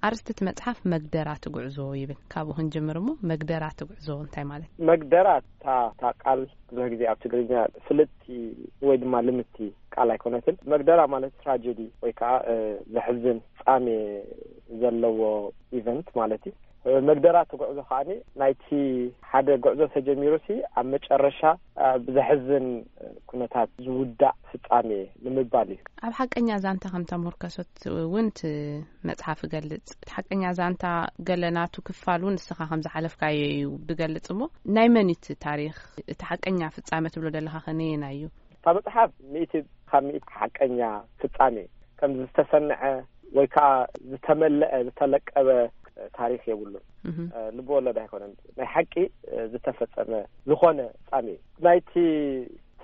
ኣርስቲ እቲ መጽሓፍ መግደራቲ ጉዕዞ ይብል። ካብኡ ክንጅምር እሞ፣ መግደራቲ ጉዕዞ እንታይ ማለት? መግደራ እታ እታ ቃል ብዙሕ ግዜ ኣብ ትግርኛ ፍልጥቲ ወይ ድማ ልምቲ ቃል ኣይኮነትን። መግደራ ማለት ትራጀዲ ወይ ከዓ እ፣ ዘሕዝን ፍጻሜ ዘለዎ ኢቨንት ማለት እዩ። እ፣ መግደራቲ ጉዕዞ ከዓኒ ናይቲ ሓደ ጉዕዞ ተጀሚሩ ሲ ኣብ መጨረሻ እ፣ ብዘሕዝን ኩነታት ዝውዳእ ፍጻሜ ንምባል እዩ። ኣብ ሓቀኛ ዛንታ ከም ተመርኮሰት እውን እቲ መጽሓፍ ይገልጽ። እቲ ሓቀኛ ዛንታ ገለ ናቱ ክፋል እውን ንስኻ ከም ዝሓለፍካዮ እዩ ዝገልጽ። እሞ ናይ መን እዩ እቲ ታሪኽ? እቲ ሓቀኛ ፍጻመ ትብሎ ዘለኻ ከ ነየናይ እዩ? እታ መጽሓፍ ሚእቲ ካብ ሚእቲ ሓቀኛ ፍጻሜ ከም ዝተሰንዐ ወይ ከዓ ዝተመለአ ዝተለቀበ ታሪኽ የብሉን። እህ። እ፣ ልቢ ወለድ ኣይኮነን። ናይ ሓቂ እ፣ ዝተፈጸመ ዝኾነ ፍጻሜ እዩ። ናይቲ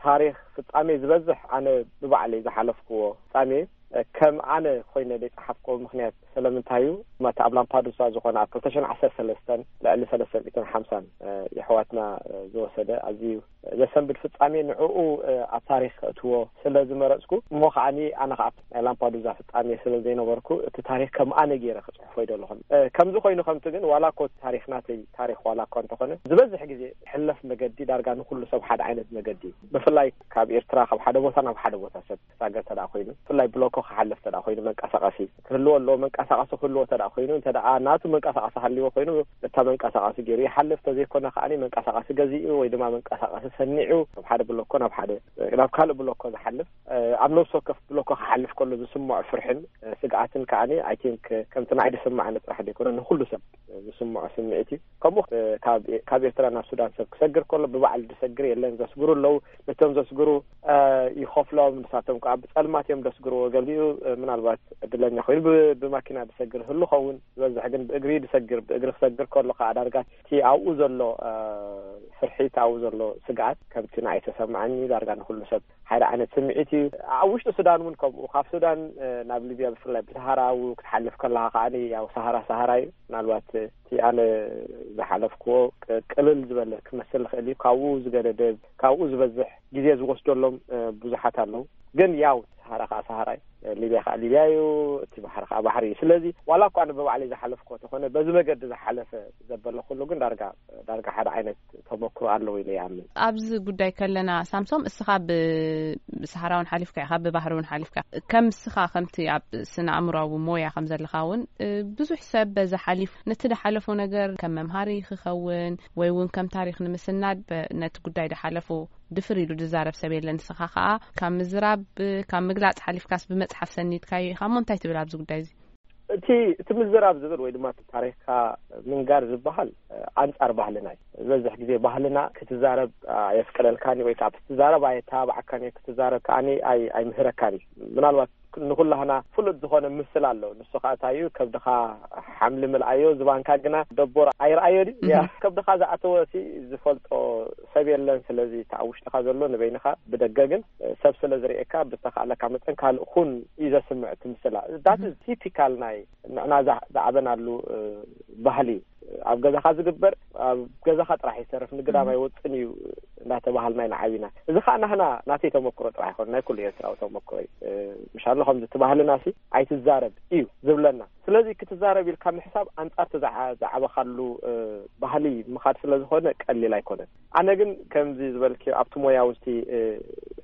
ታሪኽ ፍጻሜ ዝበዝሕ ኣነ ብባዕለይ ዝሓለፍክዎ ፍጻሜ እዩ። እ፣ ከም ኣነ ኮይነ ዘይጸሓፍክዎ ምኽንያት ስለምንታይ እዩ? ማታ ኣብ ላምፓዱሳ ዝኾነ ኣብ ክልተ ሽሕን ዓሰርተ ሰለስተን ልዕሊ ሰለስተ ሚእትን ሓምሳን እ፣ የሕዋትና እ፣ ዝወሰደ ኣዝዩ ዘሰንብድ ፍጻሜ ንዕኡ እ፣ ኣብ ታሪኽ ከእትዎ ስለ ዝመረጽኩ፣ እሞ ከዓኒ ኣነ ከኣ ናይ ላምፓዱዛ ፍጻሜ ስለ ዘይነበርኩ፣ እቲ ታሪኽ ከም ኣነ ገይረ ክጽሕፎ ይደለኹን። እ፣ ከምዚ ኮይኑ ከምቲ ግን፣ ዋላ እኮ ታሪኽ ናተይ ታሪኽ ዋላ እኳ እንተኾነ፣ ዝበዝሕ ግዜ ሕለፍ መገዲ ዳርጋ ንኹሉ ሰብ ሓደ ዓይነት መገዲ እዩ። ብፍላይ ካብ ኤርትራ ካብ ሓደ ቦታ ናብ ሓደ ቦታ ሰብ ክሳገር ተደኣ ኮይኑ፣ ብፍላይ ብሎኮ ክሓልፍ ተደኣ ኮይኑ፣ መንቀሳቐሲ ክህልዎ ኣለዎ። መንቀሳቐሲ ክህልዎ ተደኣ ኮይኑ፣ እንተ ደኣ ናቱ መንቀሳቐሲ ሃልዎ ኮይኑ፣ እታ መንቀሳቐሲ ገይሩ ይሓልፍ። ተዘይኮነ ከዓኒ መንቀሳቐሲ ገዚኡ ወይ ድማ መንቀሳቐሲ ሰኒዑ፣ ካብ ሓደ ብሎኮ ናብ ሓደ፣ ናብ ካልእ ብሎኮ ዝሓልፍ፣ እ፣ ኣብ ነብሲ ወከፍ ብሎኮ ክሓልፍ ከሎ ዝስምዖ ፍርሕን፣ እ፣ ስግኣትን ከዓኒ፣ ኣይ ቲንክ፣ ከምቲ ንዓይ ዝስምዓኒ ጥራሕ ዘይኮነ፣ ንኹሉ ሰብ ዝስምዖ ስምዒት እዩ። ከምኡ፣ እ፣ ካብ፣ ካብ ኤርትራ ናብ ሱዳን ሰብ ክሰግር ከሎ፣ ብባዕሉ ዝሰግር የለን፣ ዘስግሩ ኣለዉ። ነቶም ዘስግሩ፣ እ፣ ይኸፍሎም፣ ንሳቶም ከዓ ብጸልማት እዮም ዘስግርዎ። ገሊኡ፣ እ፣ ምናልባት ዕድለኛ ኮይኑ ብ-፣ ብማኪና ዝሰግር ህሉ ኸውን፣ ዝበዝሕ ግን ብእግሪ ዝሰግር፣ ብእግሪ ክሰግር ከሎ ከዓ ዳርጋ እቲ ኣብኡ ዘሎ፣ እ፣ ፍርሒ፣ እቲ ኣብኡ ዘሎ ስግኣት ከምቲ ንዓይ ተሰምዓኒ፣ ዳርጋ ንኹሉ ሰብ ሓደ ዓይነት ስምዒት እዩ። ኣብ ውሽጢ ሱዳን እውን ከምኡ፣ ካብ ሱዳን፣ እ፣ ናብ ሊብያ ብፍላይ ብሰሃራ እውን ክትሓልፍ ከለኻ ከዓኒ፣ ያው ሰሃራ ሰሃራ እዩ። ምናልባት እቲ ኣነ ዝሓለፍክዎ ቅ-፣ ቅልል ዝበለ ክመስል ይኽእል እዩ። ካብኡ ዝገደደ፣ ካብኡ ዝበዝሕ ግዜ ዝወስደሎም፣ እ፣ ብዙሓት ኣለዉ። ግን ያው ሰሃራ ከዓ ሰሃራ እዩ፣ ሊብያ ከዓ ሊብያ እዩ፣ እቲ ባሕሪ ከዓ ባሕሪ እዩ። ስለዚ ዋላ እኳ ኣነ ብባዕለይ ዝሓለፍክዎ ተኾነ፣ በዚ መገዲ ዝሓለፈ ዘበለ ኩሉ ግን ዳርጋ፣ ዳርጋ ሓደ ዓይነት ተመክሮ ኣለዎ ኢለ ይኣምን። ኣብዚ ጉዳይ ከለና ሳምሶም፣ እስኻ ብ-፣ ብሰሃራ እውን ሓሊፍካ ኢኻ፣ ብባህሪ እውን ሓሊፍካ። ከም እስኻ ከምቲ ኣብ ስነ ኣእምሮኣዊ ሞያ ከም ዘለኻ እውን፣ እ፣ ብዙሕ ሰብ በዚ ሓሊፉ ነቲ ዝሓለፎ ነገር ከም መምሃሪ ክኸውን ወይ እውን ከም ታሪኽ ንምስናድ በ-፣ ነቲ ጉዳይ ዝሓለፎ ድፍር ኢሉ ዝዛረብ ሰብ የለን። ንስኻ ከኣ ካብ ምዝራብ፣ ካብ ምግላጽ ሓሊፍካስ ብመጽሓፍ ሰኒድካዮ ኢኻ። እሞ እንታይ ትብል ኣብዚ ጉዳይ እዚ? እቲ፣ እቲ ምዝራብ ዝብል ወይ ድማ እቲ ታሪኽካ ምንጋር ዝበሃል፣ እ፣ ኣንጻር ባህልና እዩ። ዝበዝሕ ግዜ ባህልና ክትዛረብ ኣየፍቀደልካን እዩ፣ ወይ ከዓ ክትዛረብ ኣየተባብዓካን እዩ፣ ክትዛረብ ከዓኒ ኣይ-፣ ኣይምህረካን እዩ። ምናልባት ንኹላህና ፍሉጥ ዝኾነ ምስል ኣሎ። ንሱ ከዓ እንታይ እዩ? ከብድኻ ሓምሊ ምልኣዮ፣ ዝባንካ ግና ደቦር ኣይረኣዮ ድዩ? እያ፣ እህ። ከብድኻ ዝኣተወ ሲ ዝፈልጦ ሰብ የለን። ስለዚ እቲ ኣብ ውሽጥኻ ዘሎ ንበይንኻ፣ ብደገ ግን፣ እ፣ ሰብ ስለ ዝርእየካ፣ ብዝተኻእለካ መጠን ካልእ ኩን እዩ ዘስምዕ እቲ ምስላ። ዳት እህ። ቲፒካል ናይ ንዕና ዝዓ-፣ ዝዓበናሉ፣ እ፣ ባህሊ እዩ። ኣብ ገዛኻ ዝግበር ኣብ ገዛኻ ጥራሕ ይሰርፍ፣ ንግዳም እህ። ኣይወፅን እዩ እንዳተባሃልና ኢና ዓቢና። እዚ ከዓ ናህና፣ ናተይ ተመክሮ ጥራሕ ይኮን፣ ናይ ኩሉ ኤርትራዊ ተመክሮ እዩ። እ፣ ምሻሎ ከምዚ እቲ ባህልና ሲ ኣይትዛረብ እዩ ዝብለና። ስለዚ ክትዛረብ ኢልካ ምሕሳብ ኣንጻር እቲ ዝዓ-፣ ዝዓበኻሉ፣ እ፣ ባህሊ ምኻድ ስለ ዝኾነ ቀሊል ኣይኮነን። ኣነ ግን ከምዚ ዝበልክዮ ኣብቲ ሞያ ውስቲ፣ እ፣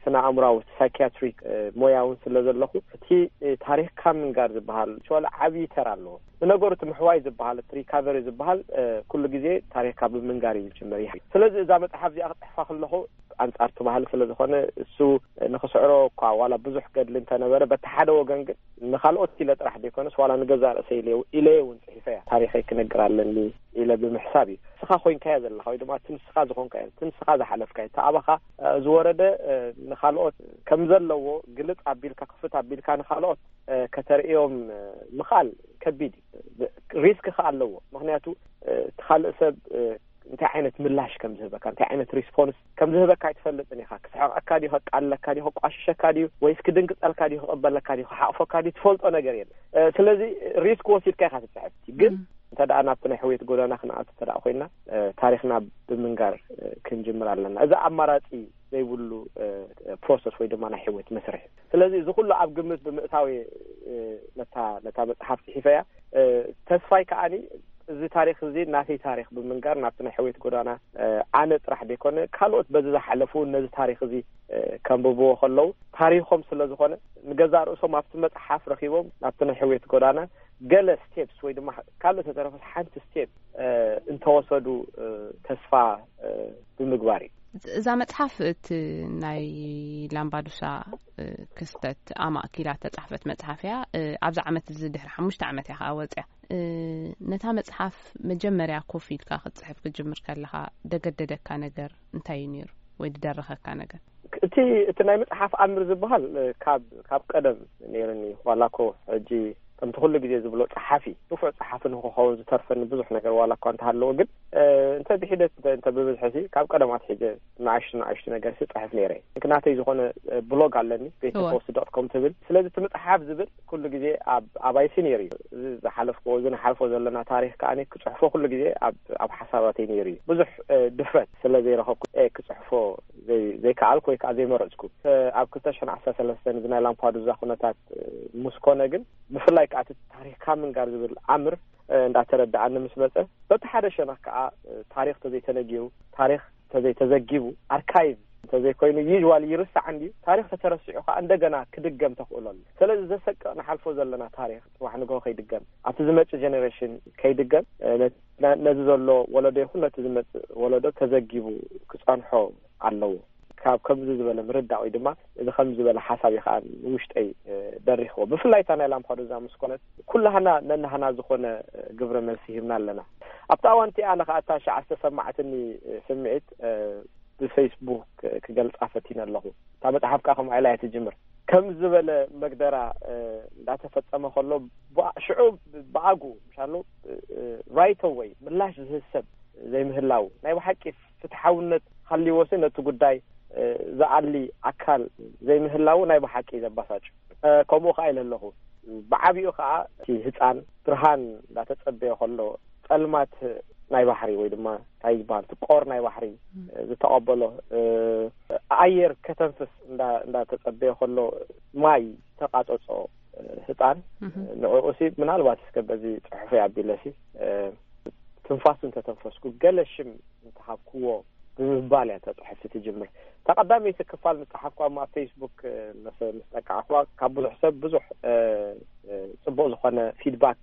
ስነ ኣእምሮኣዊ፣ ሳይኪያትሪክ፣ እ፣ ሞያ እውን ስለ ዘለኹ፣ እቲ፣ እ፣ ታሪኽካ ምንጋር ዝበሃል ሸዋለ ዓብዪ ተራ ኣለዎ። ንነገሩ እቲ ምሕዋይ ዝበሃል፣ እቲ ሪካቨሪ ዝበሃል፣ እ፣ ኩሉ ግዜ ታሪኽካ ብምንጋር እዩ ዝጅምር። ይህ-፣ ስለዚ እዛ መጽሓፍ እዚኣ ክጽሕፋ ከለኹ ኣንጻር እቲ ባህሊ ስለ ዝኾነ፣ እሱ ንኽስዕሮ እኳ ዋላ ብዙሕ ገድሊ እንተነበረ፣ በቲ ሓደ ወገን ግን ንኻልኦት ኢለ ጥራሕ ዘይኮነስ ዋላ ንገዛእ ርእሰይ ኢለ፣ ኢለየ እውን ጽሒፈያ። ታሪኸይ ክነግር ኣለኒ ኢለ ብምሕሳብ እዩ። ንስኻ ኮይንካዮ ዘለኻ ወይ ድማ እቲ ንስኻ ዝኾንካዮ፣ እቲ ንስኻ ዝሓለፍካዮ፣ እቲ ኣባኻ፣ እ፣ ዝወረደ፣ እ፣ ንኻልኦት ከም ዘለዎ ግልጽ ኣቢልካ፣ ክፉት ኣቢልካ ንኻልኦት፣ እ፣ ከተርእዮም፣ እ፣ ምኽኣል ከቢድ እዩ። ሪስክ ከኣ ኣለዎ። ምኽንያቱ፣ እ፣ እቲ ካልእ ሰብ፣ እ፣ እንታይ ዓይነት ምላሽ ከም ዝህበካ፣ እንታይ ዓይነት ሪስፖንስ ከም ዝህበካ ኣይትፈልጥን ኢኻ። ክስሕቐካ ድዩ፣ ከቃልለካ ድዩ፣ ከቋሽሸካ ድዩ፣ ወይስ ክድንግጸልካ ድዩ፣ ክቕበለካ ድዩ፣ ክሓቕፈካ ድዩ፣ ትፈልጦ ነገር የለን። እ፣ ስለዚ ሪስክ ወሲድካ ኢኻ ትጽሕፍ። ግን እም። እንተ ደኣ ናብቲ ናይ ሕውየት ጎዳና ክንኣቱ እንተ ደኣ ኮይንና፣ እ፣ ታሪኽና ብምንጋር፣ እ፣ ክንጅምር ኣለና። እዚ ኣማራጺ ዘይብሉ፣ እ፣ ፕሮሰስ ወይ ድማ ናይ ሕውየት መስርሕ። ስለዚ እዚ ኩሉ ኣብ ግምት ብምእታው እየ፣ እ፣ ነታ፣ ነታ መጽሓፍ ጽሒፈያ። እ፣ ተስፋይ ከዓኒ እዚ ታሪኽ እዚ ናተይ ታሪኽ ብምንጋር ናብቲ ናይ ሕውየት ጎዳና ኣነ ጥራሕ ዘይኮነ ካልኦት በዚ ዝሓለፉ ነዚ ታሪኽ እዚ ከንብብዎ ከለዉ ታሪኾም ስለ ዝኾነ ንገዛእ ርእሶም ኣብቲ መፅሓፍ ረኺቦም ናብቲ ናይ ሕውየት ጎዳና ገለ ስቴፕስ ወይ ድማ ካልእ ተተረፈስ ሓንቲ ስቴፕ እንተወሰዱ ተስፋ ብምግባር እዩ። እዛ መጽሓፍ እቲ ናይ ላምባዱሳ ክስተት ኣማእኪላ ተጻሕፈት መጽሓፍ እያ። ኣብዚ ዓመት እዚ ድሕሪ ሓሙሽተ ዓመት እያ ከኣ ወጽያ። ነታ መጽሓፍ መጀመርያ ኮፍ ኢልካ ክትጽሕፍ ክትጅምር ከለኻ ደገደደካ ነገር እንታይ እዩ ነይሩ ወይ ድደረኸካ ነገር? እቲ እቲ ናይ መጽሓፍ ኣምር ዝበሃል ካብ ካብ ቀደም ነይርኒ ዋላ ኮ ሕጂ ከምቲ ኩሉ ግዜ ዝብሎ ጸሓፊ ንፉዕ ጸሓፊ ንክኸውን ዝተርፈኒ ብዙሕ ነገር ዋላ እኳ እንተሃለዎ ግን እንተ ብሒደት እንተ ብብዝሒ ሲ ካብ ቀደም ኣትሒዘ ንኣሽቱ ንኣሽቱ ነገር ሲ ጽሕፍ ነይረ። ናተይ ዝኾነ ብሎግ ኣለኒ ቤተ ፖስት ዶት ኮም ትብል። ስለዚ እቲ መጽሓፍ ዝብል ኩሉ ግዜ ኣብ ኣባይሲ ነይሩ እዩ። እዚ ዝሓለፍክዎ እዚ ንሓልፎ ዘለና ታሪኽ ከኣ ክጽሕፎ ኩሉ ግዜ ኣብ ኣብ ሓሳባተይ ነይሩ እዩ። ብዙሕ ድፍረት ስለ ዘይረኸብኩ ክጽሕፎ ዘይከኣልኩ ወይ ከዓ ዘይመረጽኩ። ኣብ ክልተ ሽሕን ዓሰርተ ሰለስተን እዚ ናይ ላምፓዱዛ ኩነታት ምስ ኮነ ግን ብፍላይ ከዓ እቲ ታሪኽካ ምንጋር ዝብል ኣምር እንዳተረዳኣኒ ምስ መፀ በቲ ሓደ ሸነኽ ከዓ ታሪኽ ተዘይተነጊሩ ታሪኽ ተዘይተዘጊቡ ኣርካይቭ እንተዘይኮይኑ ዩዋል ይርሳዕ እንዲዩ ታሪኽ ተተረሲዑ ከዓ እንደገና ክድገም ተኽእሎ ኣሎ። ስለዚ ዘሰቅቕ ንሓልፎ ዘለና ታሪኽ ፅባሕ ንግሆ ከይድገም ኣብቲ ዝመፅእ ጀኔሬሽን ከይድገም ነዚ ዘሎ ወለዶ ይኹን ነቲ ዝመፅእ ወለዶ ተዘጊቡ ክፀንሖ ኣለዎ። ካብ ከምዚ ዝበለ ምርዳእ ወይ ድማ እዚ ከም ዝበለ ሓሳብ እዩ ከዓ ንውሽጠይ ደሪኽዎ። ብፍላይ እታ ናይ ላምፓዱዛ ምስ ኮነት ኩላህና ነናህና ዝኾነ ግብረ መልሲ ሂብና ኣለና። ኣብቲ ኣዋንቲ ኣነ ከዓ እታ ሸዓ ዝተሰማዓትኒ ስምዒት ብፌስቡክ ክገልፃ ፈቲነ ኣለኹ። እታ መፅሓፍ ከዓ ከምኡ ኢላ እያ ትጅምር። ከም ዝበለ መግደራ እንዳተፈፀመ ከሎ ሽዑ ብኣጉ ምሻሎ ራይት ወይ ምላሽ ዝህብ ሰብ ዘይምህላው ናይ ብሓቂ ፍትሓውነት ሃልይዎሲ ነቲ ጉዳይ ዝኣሊ ኣካል ዘይምህላው ናይ ብሓቂ ዘባሳጭ። ከምኡ ከዓ ኢለ ኣለኹ። ብዓቢኡ ከዓ እቲ ህፃን ብርሃን እንዳተፀበየ ከሎ ፀልማት ናይ ባሕሪ ወይ ድማ እንታይ ዝበሃል እቲ ቆር ናይ ባሕሪ ዝተቐበሎ ኣየር ከተንፍስ እንዳተፀበየ ከሎ ማይ ዝተቃፀፆ ህፃን ንዕኡ ሲ ምናልባት እስከ በዚ ፅሑፈይ ኣቢለ ሲ ትንፋሱ እንተተንፈስኩ ገለ ሽም እንተሃብክዎ ብምባል እያ እታ ፅሑፍቲ ትጅምር። እታ ቀዳመይቲ ክፋል ምስ ፀሓፍኩ ኣብ ፌስቡክ ምስ ጠቃዕኩዋ ካብ ብዙሕ ሰብ ብዙሕ ፅቡቅ ዝኾነ ፊድባክ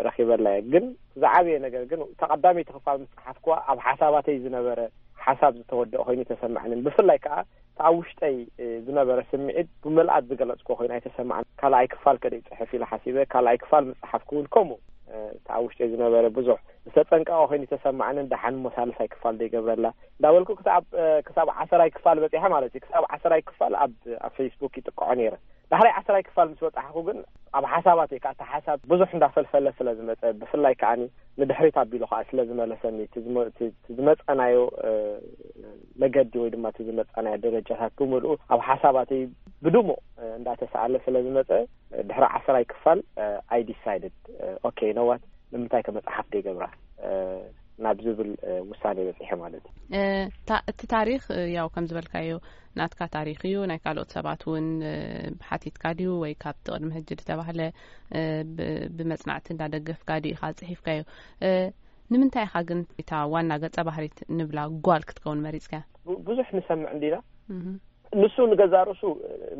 ረኺበላ እየ። ግን ዝዓበየ ነገር ግን እታ ቀዳመይቲ ክፋል ምስ ፀሓፍኩዋ ኣብ ሓሳባተይ ዝነበረ ሓሳብ ዝተወደአ ኮይኑ ተሰማዕንን ብፍላይ ከዓ እቲ ኣብ ውሽጠይ ዝነበረ ስምዒት ብምልኣት ዝገለፅኩ ኮይኑ ኣይተሰማዕን። ካልኣይ ክፋል ከደይ ፅሕፍ ኢለ ሓሲበ። ካልኣይ ክፋል ምፅሓፍኩ እውን ከምኡ እቲ ኣብ ውሽጠይ ዝነበረ ብዙሕ ዝተፀንቀቐ ኮይኑ ተሰማዕንን ደሓን እሞ ሳልሳይ ክፋል ዘይገብረላ እንዳበልኩ ክሳብ ክሳብ ዓሰራይ ክፋል በፂሐ ማለት እዩ። ክሳብ ዓሰራይ ክፋል ኣብ ኣብ ፌስቡክ ይጥቅዖ ነይረ። ዳሕራይ ዓሰራይ ክፋል ምስ በፃሕኩ ግን ኣብ ሓሳባተይ ከዓ እቲ ሓሳብ ብዙሕ እንዳፈልፈለ ስለ ዝመፀ ብፍላይ ከዓኒ ንድሕሪት ኣቢሉ ከዓ ስለ ዝመለሰኒ እቲ ዝመፀናዮ መገዲ ወይ ድማ እቲ ዝመፀናዮ ደረጃታት ብምልኡ ኣብ ሓሳባተይ ብድሙቕ እንዳተሰኣለ ስለ ዝመፀ ድሕሪ ዓሰራይ ክፋል I decided okay you know what ንምንታይ ከ መፅሓፍ ደይገብራ ናብ ዝብል ውሳኔ በፂሐ ማለት እዩ። እቲ ታሪኽ ያው ከም ዝበልካዮ ናትካ ታሪኽ እዩ። ናይ ካልኦት ሰባት እውን ሓቲትካ ድዩ ወይ ካብቲ ቅድሚ ሕጂ ዝተባህለ ብመፅናዕቲ እንዳደገፍካ ድዩ ኢኻ ፅሒፍካዮ? ንምንታይ ኢኻ ግን እታ ዋና ገፀ ባህሪት ንብላ ጓል ክትከውን መሪፅካያ? ብዙሕ ንሰምዕ እንዲና ንሱ ንገዛ ርእሱ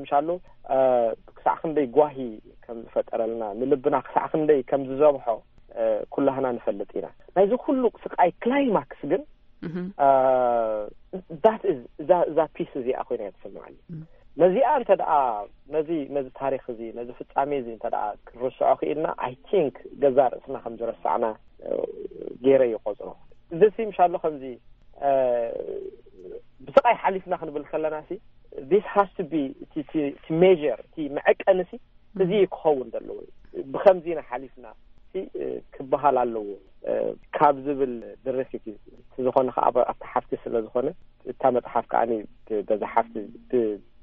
ምሻሉ ክሳዕ ክንደይ ጓሂ ከም ዝፈጠረልና ንልብና ክሳዕ ክንደይ ከም ዝዘብሖ ኩላህና ንፈልጥ ኢና። ናይዚ ኩሉ ስቃይ ክላይማክስ ግን ዳት እዛ ፒስ እዚኣ ኮይና እያ ትስምዓኒ። ነዚኣ እንተ ደኣ ነዚ ነዚ ታሪኽ እዚ ነዚ ፍጻሜ እዚ እንተ ደኣ ክንርስዖ ክኢልና I think ገዛ ርእስና ከም ዝረሳዕና ገይረ ይቆጽሮ። እዚ ሲ ምሻሎ ከምዚ ብስቃይ ሓሊፍና ክንብል ከለና ሲ this has to be እቲ measure እቲ መዐቀኒ ሲ እዚ ክኸውን ዘለዎ ብከምዚ ኢና ሓሊፍና ሲ ክበሃል ኣለዎ ካብ ዝብል ድርኺት እዩ። እቲ ዝኾነ ከዓ ኣብቲ ሓፍቲ ስለ ዝኾነ እታ መፅሓፍ ከዓ በዛ ሓፍቲ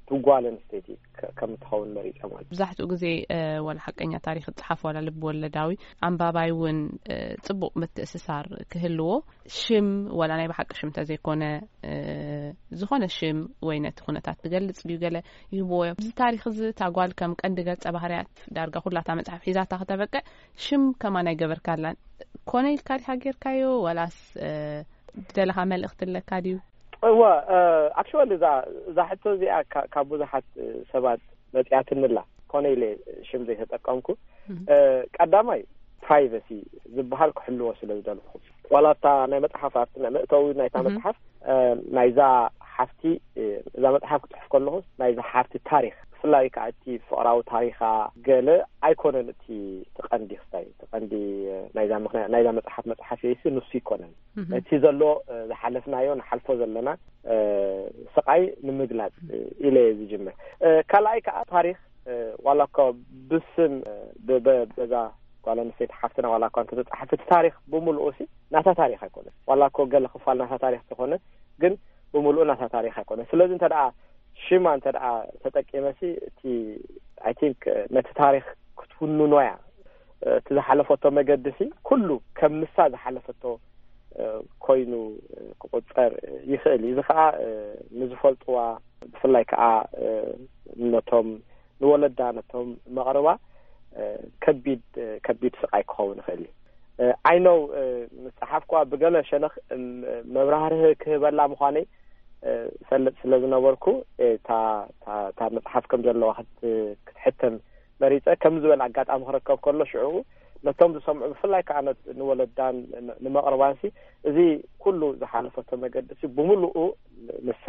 ብጓል ኣንስተይቲ ከም እትኸውን መሪጸ ማለት እዩ። ብዙሕትኡ ግዜ ዋላ ሓቀኛ ታሪክ ዝፅሓፍ ዋላ ልብ ወለዳዊ ኣንባባይ እውን ፅቡቅ ምትእስሳር ክህልዎ ሽም ዋላ ናይ ብሓቂ ሽም ተዘይኮነ ዝኾነ ሽም ወይ ነቲ ኩነታት ትገልጽ ድዩ ገለ ይህብዎ እዮም። እዚ ታሪክ እዚ እታ ጓል ከም ቀንዲ ገጸ ባህርያት ዳርጋ ኩላታ መጽሓፍ ሒዛታ ከተበቅዕ ሽም ከማን ኣይገበርካላን። ኮነ ኢልካ ዲካ ጌርካዮ ዋላስ ደለኻ መልእኽቲ ኣለካ ድዩ? እወ፣ ኣክቹዋሊ እዛ እዛ ሕቶ እዚኣ ካብ ብዙሓት ሰባት መጺኣትንላ። ኮነ ኢለ ሽም ዘይተጠቀምኩ። ቀዳማይ ፕራይቨሲ ዝበሃል ክሕልዎ ስለ ዝደለኹ፣ ዋላ እታ ናይ መጽሓፍ ኣርት መእተዊ ናይታ መጽሓፍ ናይዛ ሓፍቲ፣ እዛ መጽሓፍ ክጽሕፍ ከለኹ ናይዛ ሓፍቲ ታሪክ፣ ብፍላይ ከዓ እቲ ፍቕራዊ ታሪኻ ገለ ኣይኮነን እቲ ትቐንዲ ክስታይ ትቐንዲ ናይዛ ምክንያት ናይዛ መጽሓፍ መጽሓፍ የይሲ ንሱ ይኮነን። እቲ ዘሎ ዝሓለፍናዮ ንሓልፎ ዘለና ስቃይ ንምግላጽ ኢለ ዝጅምር። ካልኣይ ከዓ ታሪክ ዋላ እኮ ብስም በዛ ጓል ኣንስተይቲ ሓፍትና ዋላ እኳ እንተተጻሓፈ እቲ ታሪክ ብምልኡ ሲ ናታ ታሪክ ኣይኮነን። ዋላ እኮ ገለ ክፋል ናታ ታሪክ ተኾነ ግን ብምልኡ ናታ ታሪክ ኣይኮነን። ስለዚ እንተ ደኣ ሽማ እንተ ደኣ ተጠቂመ ሲ እቲ ኣይ ቲንክ ነቲ ታሪክ ክትውንኖ እያ። እቲ ዝሓለፈቶ መገዲ ሲ ኩሉ ከም ንሳ ዝሓለፈቶ ኮይኑ ክቁጸር ይኽእል እዩ። እዚ ከዓ ንዝፈልጥዋ ብፍላይ ከዓ ነቶም ንወለዳ ነቶም መቕርባ ከቢድ ከቢድ ስቃይ ክኸውን ይኽእል እዩ። ኣይ ኖው ምስ ጸሓፍኳ ብገለ ሸነኽ መብራህርህ ክህበላ ምዃነይ ፈልጥ ስለ ዝነበርኩ እታ መጽሓፍ ከም ዘለዋ ክትሕተም መሪጸ ከም ዝበል ኣጋጣሚ ክረከብ ከሎ ሽዑ ነቶም ዝሰምዑ ብፍላይ ከዓ ንወለዳን ንመቕርባንሲ እዚ ኩሉ ዝሓለፈቶ መገዲ ሲ ብምሉኡ ንሳ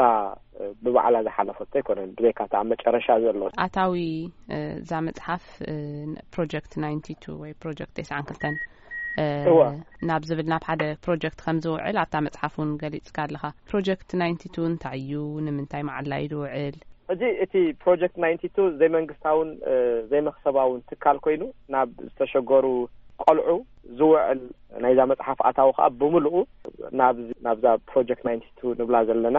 ብባዕላ ዝሓለፈቶ ኣይኮነን። ብዘይካ እታ ኣብ መጨረሻ ዘሎ ኣታዊ እዛ መጽሓፍ ፕሮጀክት ናይንቲ ቱ ወይ ፕሮጀክት ተስዓን ክልተን እወ። ናብ ዝብል ናብ ሓደ ፕሮጀክት ከም ዝውዕል ኣብታ መጽሓፍ እውን ገሊጽካ ኣለኻ። ፕሮጀክት ናይንቲ ቱ እንታይ እዩ? ንምንታይ መዓላ እዩ ዝውዕል? እዚ እቲ ፕሮጀክት ናይንቲ ቱ ዘይመንግስታውን ዘይመክሰባውን ትካል ኮይኑ ናብ ዝተሸገሩ ቆልዑ ዝውዕል ናይዛ መጽሓፍ ኣታዊ ከዓ ብምልኡ ናብዛ ፕሮጀክት ናይንቲ ቱ ንብላ ዘለና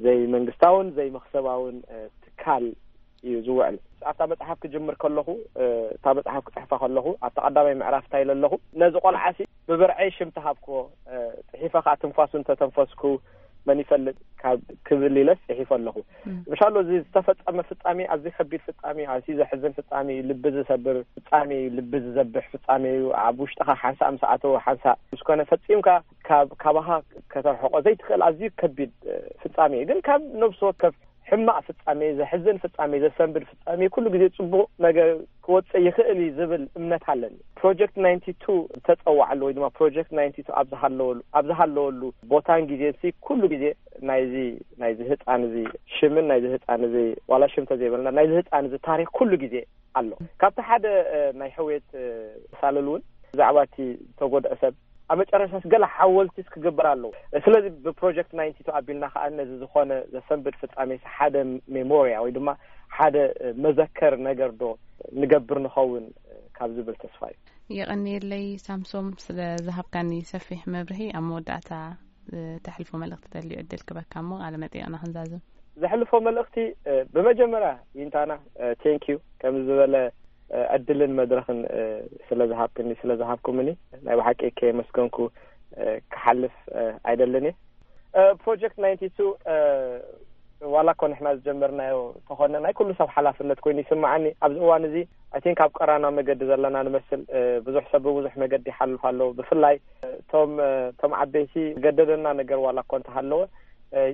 ዘይመንግስታውን ዘይመክሰባውን ትካል እዩ ዝውዕል። ኣብታ መጽሓፍ ክጅምር ከለኹ እታ መጽሓፍ ክጽሕፋ ከለኹ ኣብታ ቀዳማይ ምዕራፍ እንታይ ኢለ ኣለኹ፣ ነዚ ቆልዓሲ ብብርዐይ ሽም ተሃብክዎ፣ ጽሒፈ ከዓ ትንፋሱ እንተተንፈስኩ መን ይፈልጥ ካብ ክብል ኢለ ጽሒፈ ኣለኹ። ምሻሎ እዚ ዝተፈጸመ ፍጻሜ ኣዝዩ ከቢድ ፍጻሜ፣ ኣዝዩ ዘሕዝን ፍጻሜ እዩ፣ ልቢ ዝሰብር ፍጻሜ እዩ፣ ልቢ ዝዘብሕ ፍጻሜ እዩ። ኣብ ውሽጥኻ ሓንሳእ ምስ ኣተወ ሓንሳእ ምስ ኮነ ፈጺምካ ካብ ካባኻ ከተርሕቆ ዘይትኽእል ኣዝዩ ከቢድ ፍጻሜ እዩ። ግን ካብ ነብሲ ወከፍ ሕማቕ ፍጻሜ፣ ዘሕዝን ፍጻሜ፣ ዘሰንብድ ፍጻሜ ኩሉ ግዜ ጽቡቕ ነገር ክወጽእ ይኽእል እዩ ዝብል እምነት ኣለኒ። ፕሮጀክት ናይንቲ ቱ ዝተጸዋዓሉ ወይ ድማ ፕሮጀክት ናይንቲ ቱ ኣብ ዝሃለወሉ ኣብ ዝሃለወሉ ቦታን ግዜን ሲ ኩሉ ግዜ ናይዚ ናይዚ ህጻን እዚ ሽምን ናይዚ ህጻን እዚ ዋላ ሽም ተዘይበልና ናይዚ ህጻን እዚ ታሪክ ኩሉ ግዜ ኣሎ። ካብቲ ሓደ ናይ ሕውየት ሳልል እውን ብዛዕባ እቲ ዝተጎድአ ሰብ ኣብ መጨረሻስ ገለ ሓወልቲስ ክግበር ኣለዎ። ስለዚ ብፕሮጀክት ናይንቲ ቱ ኣቢልና ከዓ ነዚ ዝኾነ ዘሰንብድ ፍጻሜ ሓደ ሜሞርያ ወይ ድማ ሓደ መዘከር ነገር ዶ ንገብር ንኸውን ካብ ዝብል ተስፋ እዩ። የቐንየለይ ሳምሶም ስለ ዝሃብካኒ ሰፊሕ መብርሂ። ኣብ መወዳእታ ተሕልፎ መልእኽቲ ተልዩ ዕድል ክበካ እሞ ቃለ መጠየቕና ክንዛዝም። ዘሕልፎ መልእኽቲ ብመጀመርያ ይንታና ቴንክ ዩ ከምዚ ዝበለ ዕድልን መድረኽን ስለ ዝሃብክኒ ስለ ዝሃብኩምኒ ናይ ብሓቂ ከየመስገንኩ ክሓልፍ ኣይደልን እየ። ፕሮጀክት ናይንቲ ቱ ዋላ እኮ ንሕና ዝጀመርናዮ ተኾነ ናይ ኩሉ ሰብ ሓላፍነት ኮይኑ ይስምዓኒ። ኣብዚ እዋን እዚ ኣይ ቲንክ ኣብ ቀራና መገዲ ዘለና ንመስል። ብዙሕ ሰብ ብብዙሕ መገዲ ይሓልፍ ኣሎ። ብፍላይ እቶም እቶም ዓበይቲ ገደደና ነገር ዋላ እኮ እንተሃለወ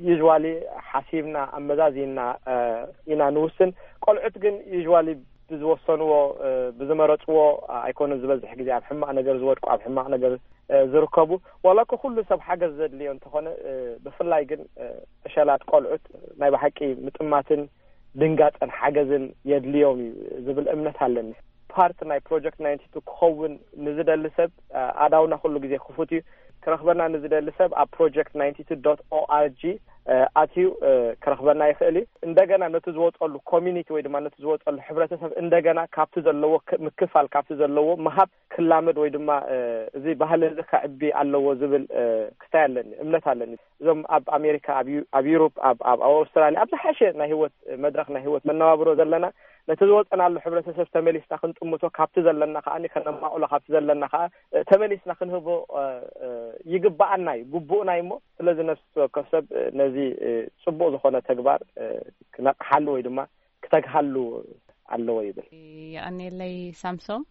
ዩዝዋሊ ሓሲብና ኣመዛዚና ኢና ንውስን። ቆልዑት ግን ዩዝዋሊ ብዝወሰንዎ ብዝመረፅዎ ኣይኮኑን ዝበዝሕ ግዜ ኣብ ሕማቕ ነገር ዝወድቁ ኣብ ሕማቕ ነገር ዝርከቡ። ዋላ እኮ ኩሉ ሰብ ሓገዝ ዘድልዮ እንተኾነ ብፍላይ ግን ዕሸላት ቆልዑት ናይ ብሓቂ ምጥማትን ድንጋፀን ሓገዝን የድልዮም እዩ ዝብል እምነት ኣለኒ። ፓርት ናይ ፕሮጀክት ናይንቲ ቱ ክኸውን ንዝደሊ ሰብ ኣእዳውና ኩሉ ግዜ ክፉት እዩ። ክረኽበና ንዝደሊ ሰብ ኣብ project ninety two dot org ኣትዩ ክረኽበና ይኽእል እዩ። እንደገና ነቲ ዝወፀሉ ኮሚኒቲ ወይ ድማ ነቲ ዝወፀሉ ሕብረተሰብ እንደገና ካብቲ ዘለዎ ምክፋል፣ ካብቲ ዘለዎ ምሃብ ክላመድ ወይ ድማ እዚ ባህል እዚ ከዕቢ ኣለዎ ዝብል ክስታይ ኣለኒ፣ እምነት ኣለኒ። እዞም ኣብ ኣሜሪካ፣ ኣብ ዩሮፕ፣ ኣብ ኣውስትራልያ፣ ኣብ ዝሓሸ ናይ ህይወት መድረክ፣ ናይ ህይወት መነባብሮ ዘለና፣ ነቲ ዝወፀናሉ ሕብረተሰብ ተመሊስና ክንጥምቶ፣ ካብቲ ዘለና ከዓ ከነማቕሎ፣ ካብቲ ዘለና ከዓ ተመሊስና ክንህቦ ይግባኣና እዩ፣ ግቡእና እዩ። እሞ ስለዚ ነፍሲ ወከፍ ሰብ ነዚ ፅቡቅ ዝኾነ ተግባር ክነቕሓሉ ወይ ድማ ክተግሃሉ ኣለዎ ይብል። የቐኔለይ ሳምሶም።